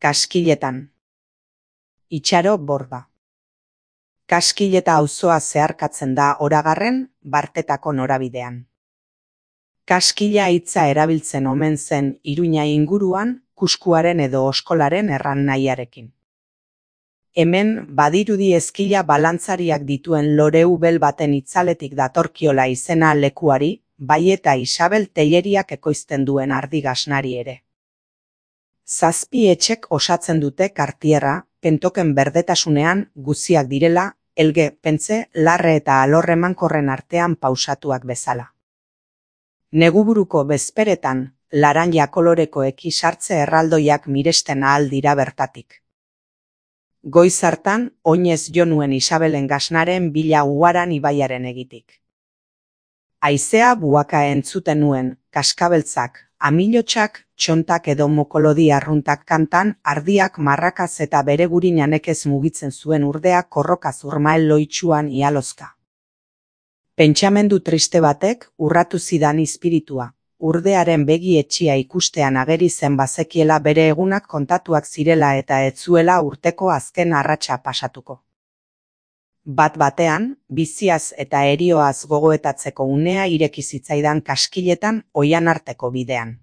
Kaskiletan. Itxaro Borda. Kaskileta auzoa zeharkatzen da Oragarren, Bartetako norabidean. Kaskila hitza erabiltzen omen zen Iruña inguruan, kuskuaren edo oskolaren erran nahiarekin. Hemen badirudi ezkila balantzariak dituen loreubel baten itzaletik datorkiola izena lekuari, bai eta Isabel Telleriak ekoizten duen ardi-gasnari ere. 7 etxek osatzen dute kartierra, pentoken berdetasunean guziak direla, Elge, Pentze, Larre eta Alorremankorren artean pausatuak bezala. Neguburuko bezperetan, laranja koloreko sartze erraldoiak miresten ahal dira bertatik. Goiz hartan, oinez jo nuen Isabelen gasnaren bila Uaran ibaiaren egitik. Haizea buaka entzuten nuen, kaskabeltzak, amilotxak, txontak edo mokolodi arruntak kantan, ardiak marrakaz eta bere gurinanekez mugitzen zuen urdeak korroka zurmael loitsuan ialozka. Pentsamendu triste batek urratu zidan izpiritua, urdearen begi etxia ikustean ageri zen bazekiela bere egunak kontatuak zirela eta ez zuela urteko azken arratsa pasatuko. Bat-batean, biziaz eta erioaz gogoetatzeko unea ireki zitzaidan Kaskiletan oihan arteko bidean.